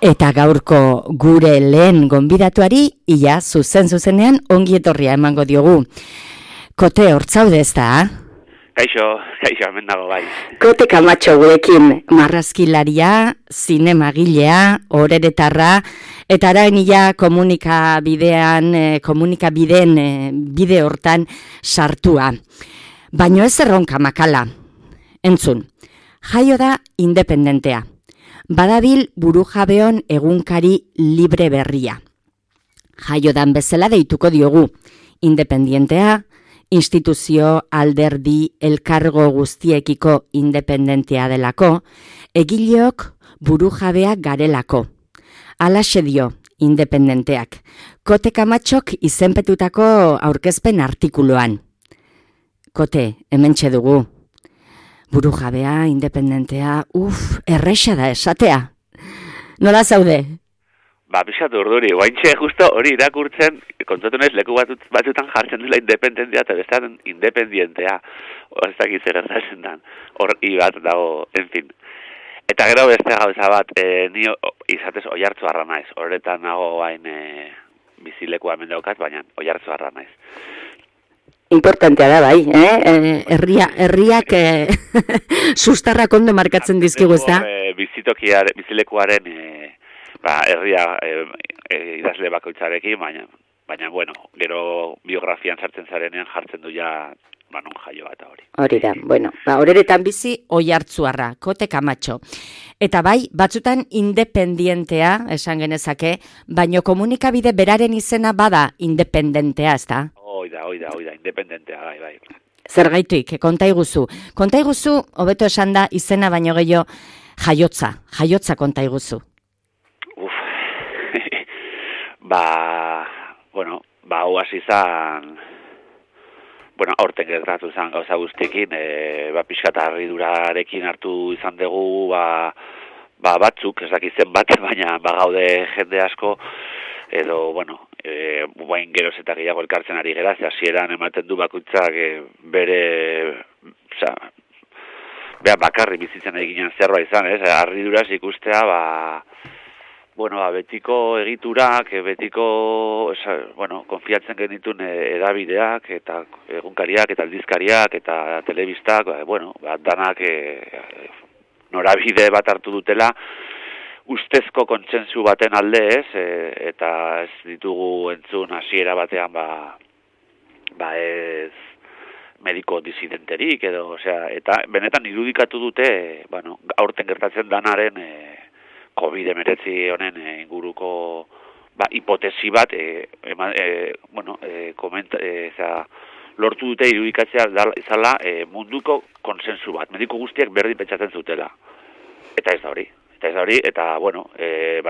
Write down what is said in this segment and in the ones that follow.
Eta gaurko gure lehen gonbidatuari, ia zuzenean ongi etorria emango diogu. Kote, hortzaude ez da? Kaixo, hemen dago bai. Kote Kamatxo gurekin, marrazkilaria, zinemagilea, oreretarra, eta arain ia komunikabideen bide hortan sartua. Baino ez erronka makala. Entzun, jaio da independentea. Badabil burujabeon egunkari libre berria. Jaiodan bezala deituko diogu, independentea, instituzio, alderdi, elkargo guztiekiko independentea delako, egileok burujabeak garelako. Halaxe dio, independenteak. Kote Kamatxok izenpetutako aurkezpen artikuluan. Kote, hementxe dugu. Burujabea, independentea, erresa da esatea. Nola zaude? Pixatu urduri, guaintxe justo hori irakurtzen, kontzatu naiz leku batutan jartzen dela independentea eta bestan independientea. Ez dakiz erantazen dan, hor bat dago, en fin. Eta gero beste gauza bat, ni izatez oihartzuarra naiz, horretan nago hain bizilekua hemen daukat, baina oihartzuarra naiz. Importantea da, bai, herriak sustarrak ondo markatzen dizkigu, ez da? Bizilekuaren herria idazle bakoitzarekin, baina bueno, gero biografian sartzen zarenean jartzen du ja non jaioa eta hori. Hori da, bueno, horeretan bizi oihartzuarra, Kote Kamatxo. Eta bai, batzutan independientea, esan genezake, baino komunikabide beraren izena bada independentea, ez da? Oida, independentea, bai. Zergaitik, konta iguzu, hobeto esan da izena baino gehiago jaiotza konta iguzu. Hau hasi izan, aurten gertatu izan gauza guztiekin, pixkat harridurarekin hartu izan dugu, batzuk, ez dakizen bat, baina gaude jende asko, edo, guain geroz eta gehiago elkartzen ari gera, hasieran ematen du bakoitzak bere, bakarri bizitzen eginen zerbait izan, harriduraz ikustea, betiko egiturak, betiko, konfiatzen genituen edabideak, eta egunkariak, eta aldizkariak, eta telebistak, danak norabide bat hartu dutela, ustezko kontsentsu baten alde ez, eta ez ditugu entzun hasiera batean, ez mediko disidenterik, edo, eta benetan irudikatu dute, aurten gertatzen danaren, COVID-19 honen inguruko hipotesi bat lortu dute irudikatzea izala munduko konsensu bat. Mediko guztiak berdin pentsatzen zutela. Eta ez da hori.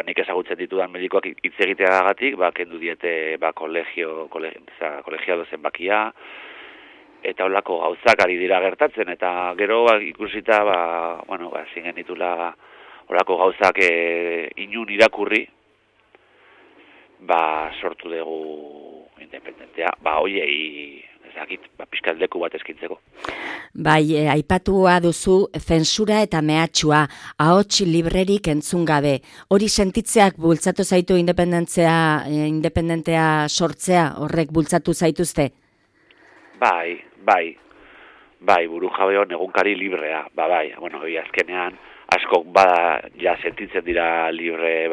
Nik ezagutzen ditudan medikoak hitz egiteagatik, kendu diete kolegiado zenbakia, eta holako gauzak ari dira gertatzen, eta gero ikusita, zingen ditula horako gauzak inun irakurri, sortu dugu independentea, pixkat leku bat eskintzeko. Bai, aipatua duzu zensura eta mehatxua, ahots librerik entzun gabe. Hori sentitzeak bultzatu zaitu independentea sortzea, horrek bultzatu zaituzte? Bai, burujabeon egunkari librea, azkenean, askok sentitzen dira libre,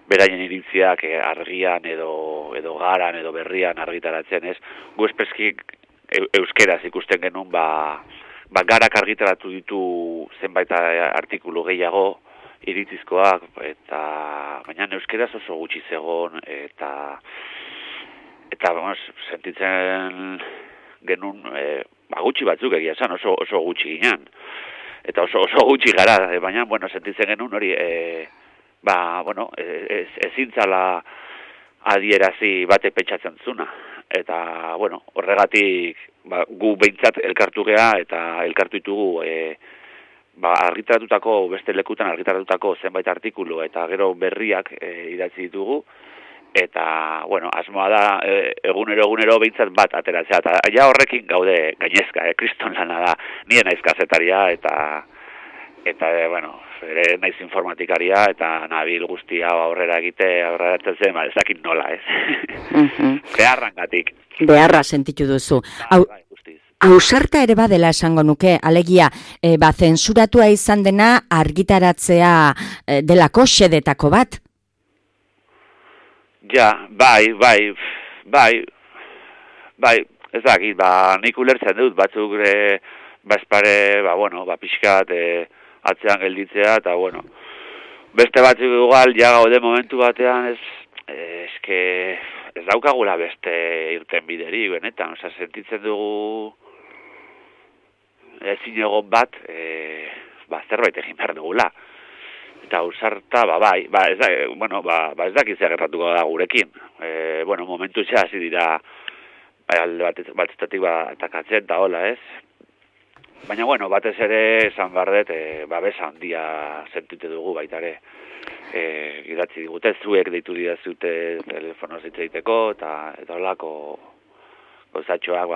beraien iritziak argian edo garan edo berrian argitaratzen, ez? Gu espezkik euskeraz ikusten genuen, garak argitaratu ditu zenbait artikulu gehiago, iritzizkoak, baina euskeraz oso gutxi zegoen, eta sentitzen genuen, gutxi batzuk egia esan, oso gutxi ginen. Eta oso gutxi gara, baina, sentitzen genuen hori, ezin zala adierazi bate pentsatzen zuna. Eta, horregatik, gu behintzat elkartu gea, eta elkartu ditugu, beste lekutan argitaratutako zenbait artikulu, eta gero berriak idatzi ditugu, eta, asmoa da, egunero behintzat bat ateratzea, eta ja horrekin gaude gainezka, kriston lana da, nien naiz kazetaria, eta ere naiz informatikaria eta nabil guzti hau aurrera zen, ez dakit nola, ez? Beharrangatik. Beharra sentitu duzu. Bai, guztiz. Ausarta ere badela esango nuke, alegia, zensuratua izan dena argitaratzea delako xedetako bat? Ja, bai, ez dakit, nik ulertzen dut, batzuk pixkat atzean gelditzea, eta beste batzuk igual, ja gaude momentu batean, ez daukagula beste irten bideri, benetan, sentitzen dugu ezin egon bat, zerbait egin behar dugula. Eta ausarta, ez dakitzea gertatuko da gurekin. Momentu hasi dira, alde batetatik atakatzen, eta hola, ez? Baina, batez ere, esan bardet, babesa handia sentite dugu baitare. Idatzi digute, zuek deitu didazute telefonoz hitz egiteko, eta holako gauzatxoak,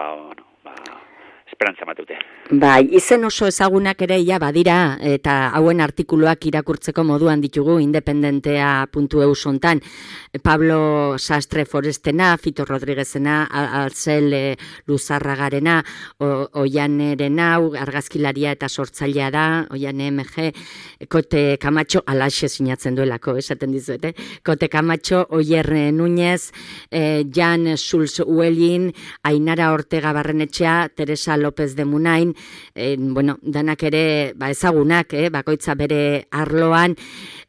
esperantza matute. Bai, izen oso ezagunak ere badira, eta hauen artikuluak irakurtzeko moduan ditugu independentea.eu sontan. Pablo Sastre Forestena, Fito Rodriguezena, Alzel Luzarragarena, Oianeren hau, argazkilaria eta sortzailea da, Oiane MG, Kote Camacho, alaxe sinatzen duelako, esaten dizuete, Kote Camacho, Oier Núñez, Jan Schulz Uelin, Ainara Ortega Barrenetxea, Teresa López de Munain, danak ere ezagunak, bakoitza bere arloan,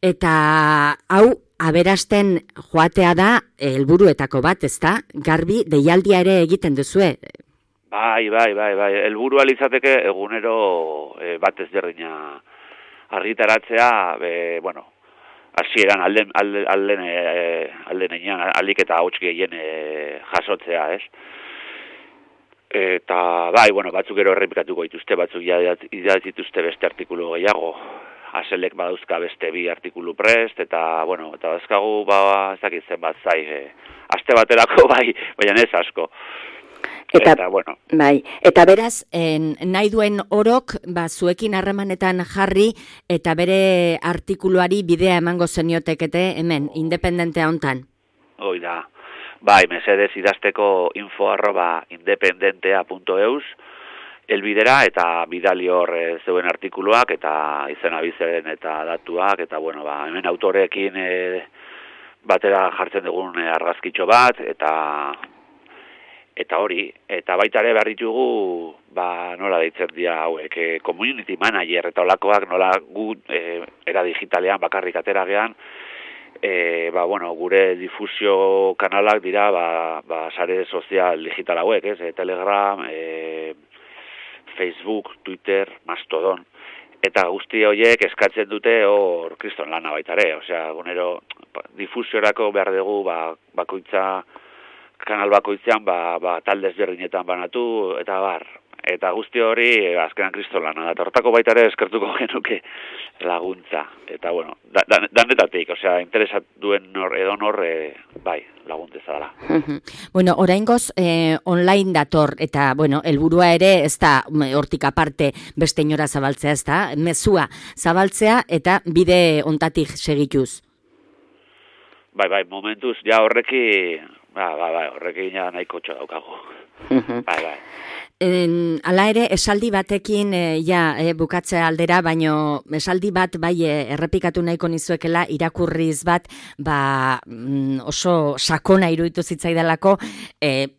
eta hau aberasten joatea da helburuetako bat, ezta? Garbi deialdia ere egiten duzue. Bai, helburua litzateke egunero bat ezberdina argitaratzea, hasieran alden enean, alik eta hauts gehien jasotzea, ez? Eta, batzuk ero errepikatuko dituzte, batzuk idatzituzte beste artikulu gehiago. Aselek badauzka beste 2 artikulu prest, eta dauzkagu, ez dakitzen bat zai, aste baterako baina ez asko. Eta beraz, nahi duen orok, zuekin harremanetan jarri, eta bere artikuluari bidea emango zeniotekete, hemen, independentea hontan. Hoi da. Mesedez idazteko info@independentea.eus elbidera eta bidali hor zeuen artikuluak eta izena bizaren eta datuak eta hemen autorekin batera jartzen dugun argazkitxo bat eta hori, eta baita ere behar ditugu nola deitzen dira hauek, community manager eta olakoak nola gu era digitalean bakarrik ateragean, gure difusio kanalak dira, sare sozial digital hauek, Telegram, Facebook, Twitter, Mastodon. Eta guzti horiek eskatzen dute hor kriston lana baitare. Osea, gunero, difusiorako behar dugu, kanal bakoitzean, talde ezberdinetan banatu, eta bar. Eta guzti hori, azkenan kriston lana. Eta hortako baitare eskertuko genuke laguntza. Eta, danetatik, osea, interesat duen laguntza dela. Oraingoz, online dator, eta, helburua ere, ez da, hortik aparte, beste inora zabaltzea, ez da, mezua zabaltzea, eta bide ontatik segituz. Momentuz, ja horrekin nahiko txo daukago. Hala ere, esaldi batekin bukatzea aldera, baino esaldi bat errepikatu nahiko nizuekela irakurriz bat oso sakona iruditu zitzaidalako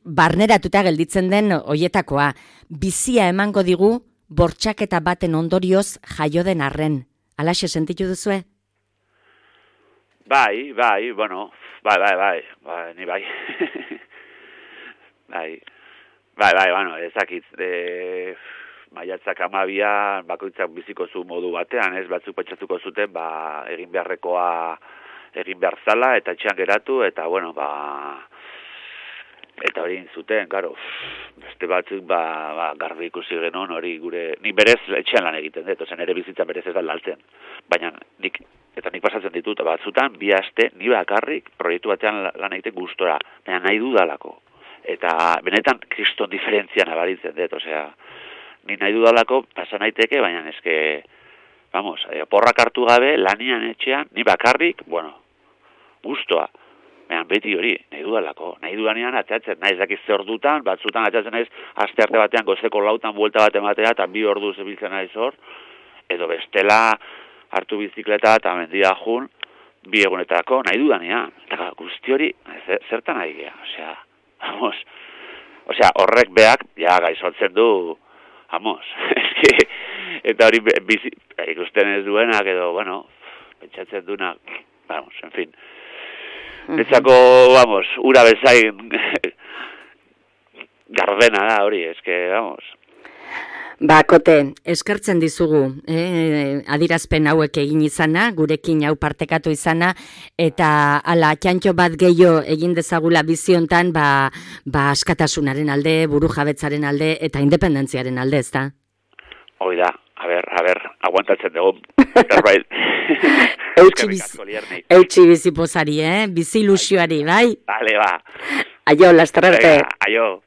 barneratuta gelditzen den hoietakoa. Bizia emango digu bortxaketa baten ondorioz jaio den arren. Halaxe sentitu duzue? Bai, ni bai. Ezakit, maiatzak 12 bakoitzak biziko zu modu batean, ez batzuk pentsatuko zuten, egin beharrekoa egin behar zala, eta etxean geratu, eta eta hori zuten, karo, beste batzuk, garbi ikusi genuen hori gure, nik berez etxean lan egiten dut, ozen ere bizitza berez ez da laltzen, baina nik pasatzen ditut, batzutan, 2 aste, ni bakarrik proiektu batean lan egiten gustora, baina nahi dudalako. Eta benetan kriston diferentzia nabaritzen dut, osea, ni nahi dudalako pasa naiteke, baina eske, vamos, porrak hartu gabe, lanian etxean, ni bakarrik, bueno, gustoa. Behan beti hori, nahi dudalako, nahi dudanean atzatzen, nahi zakiz ze ordutan, batzutan atzatzen naiz, aste arte batean gozeko lautan buelta bat ematea, eta 2 ordu zebiltzen naiz hor, edo bestela hartu bizikleta eta mendia jun, 2 egunetako, nahi dudanean. Eta guzti hori, zertan nahi gea, vamos, horrek beak, ja, gaizotzen du, vamos, eta hori ikusten ez duenak, edo, bueno, pentsatzen duenak, vamos, en fin, Etzako, vamos, ura bezain gardena da hori, vamos. Kote, eskertzen dizugu, adirazpen hauek egin izana, gurekin hau partekatu izana, eta ala txantxo bat gehiago egin dezagula biziontan, askatasunaren alde, burujabetzaren alde, eta independentziaren alde, ezta? Hoi da, a ber, aguantatzen dugu, zerbait. Eutxi bizi pozari, bizi ilusioari, bai? Vale, ba. Aio, lasterrarte. Aio.